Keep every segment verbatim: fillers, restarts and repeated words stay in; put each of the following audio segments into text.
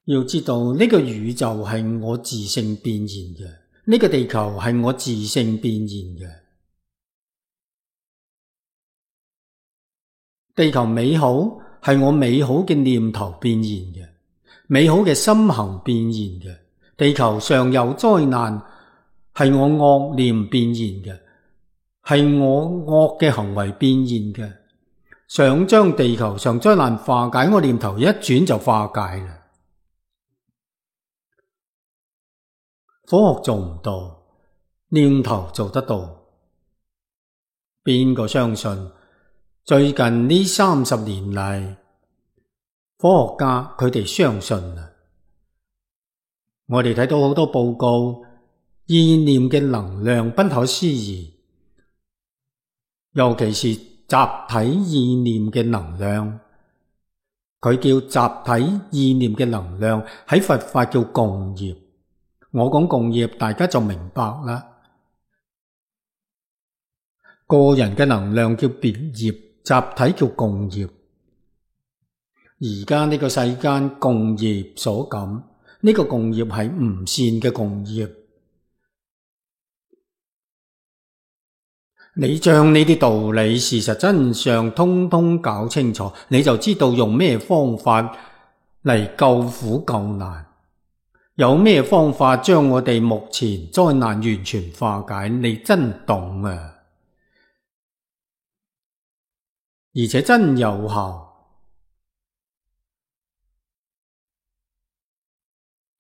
要知道呢個宇宙係我自性變現嘅，呢個地球係我自性變現嘅。地球美好係我美好嘅念頭變現嘅，美好嘅心行變現嘅。地球上有災難係我惡念變現嘅，係我惡嘅行為變現嘅。想將地球上災難化解，我念頭一轉就化解啦。科學做唔到，念頭做得到。邊個相信？最近呢三十年嚟，科學家佢哋相信啦。我哋睇到好多報告，意念嘅能量不可思議，尤其是集體意念嘅能量，佢叫集體意念嘅能量，喺佛法叫共業。我講共業，大家就明白啦。個人嘅能量叫別業，集體叫共業。而家呢個世間共業所感，呢個共業係唔善嘅共業。你將呢啲道理、事實真相通通搞清楚，你就知道用咩方法嚟救苦救難，有咩方法將我哋目前災難完全化解。你真懂啊！而且真有效。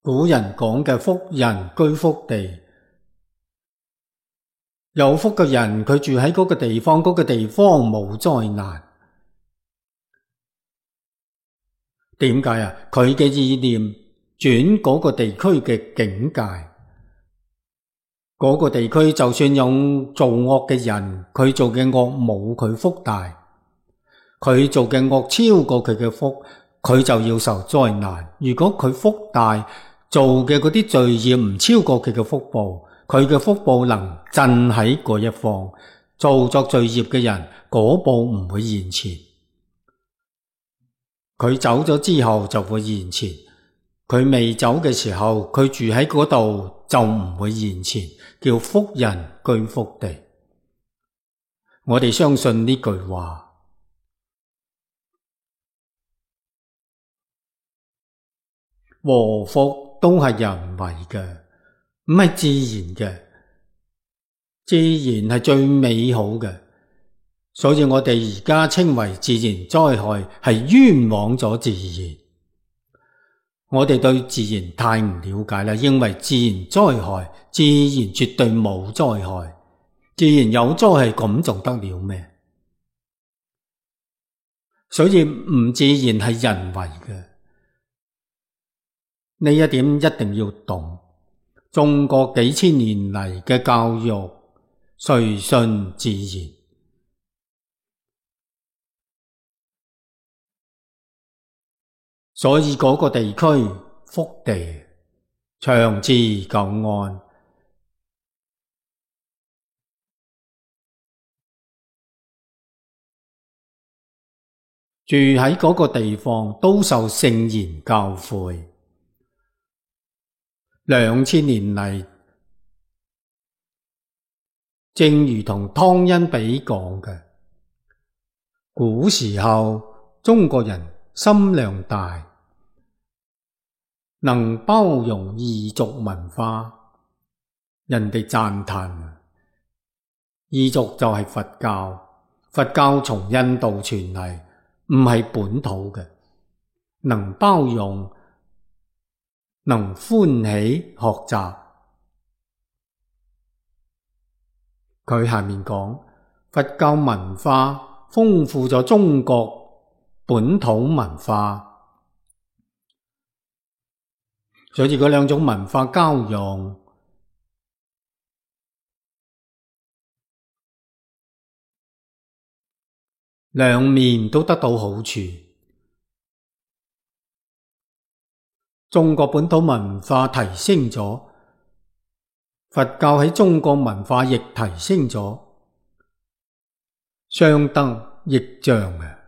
古人講嘅福人居福地，有福嘅人佢住喺嗰個地方，嗰個地方冇災難。點解啊？佢嘅意念轉嗰個地區嘅境界，嗰個地區就算有做惡嘅人，佢做嘅惡冇佢福大，佢做嘅惡超過佢嘅福，佢就要受災難。如果佢福大，做嘅嗰啲罪業唔超過佢嘅福報，佢嘅福報能鎮喺嗰一方。做作罪業嘅人，果報唔會現前，佢走咗之後就會現前，佢未走嘅時候，佢住喺嗰度就唔會現前，叫福人居福地。我哋相信呢句話。禍福都係人為嘅，唔係自然嘅。自然係最美好嘅，所以我哋而家稱為自然災害，係冤枉咗自然。我哋對自然太唔了解啦，認為自然災害，自然絕對冇災害，自然有災害咁仲得了咩？所以唔自然係人為嘅，呢一點一定要懂。中國幾千年嚟嘅教育，誰信自然？所以嗰個地區福地長治久安。住喺嗰個地方都受聖言教誨。兩千年嚟，正如同湯恩比講嘅，古時候中國人心量大，能包容異族文化，人哋讚嘆。異族就係佛教，佛教從印度傳嚟，唔係本土嘅，能包容，能歡喜學習。佢下面講，佛教文化豐富咗中國本土文化，所以嗰兩種文化交融，兩面都得到好處。中國本土文化提升咗，佛教喺中國文化亦提升咗，相得益彰啊！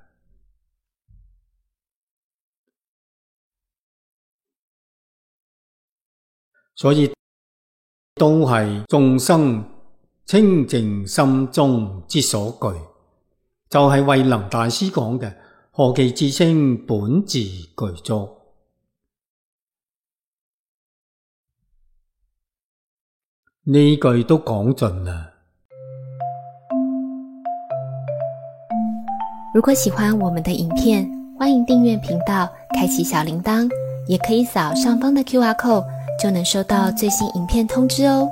所以都係眾生清淨心中之所具，就係慧能大師講嘅何其自性本自具足。呢句都講盡啦。如果喜歡我們的影片，歡迎訂閱頻道，開啟小鈴鐺，也可以掃上方的 Q R code，就能收到最新影片通知哦。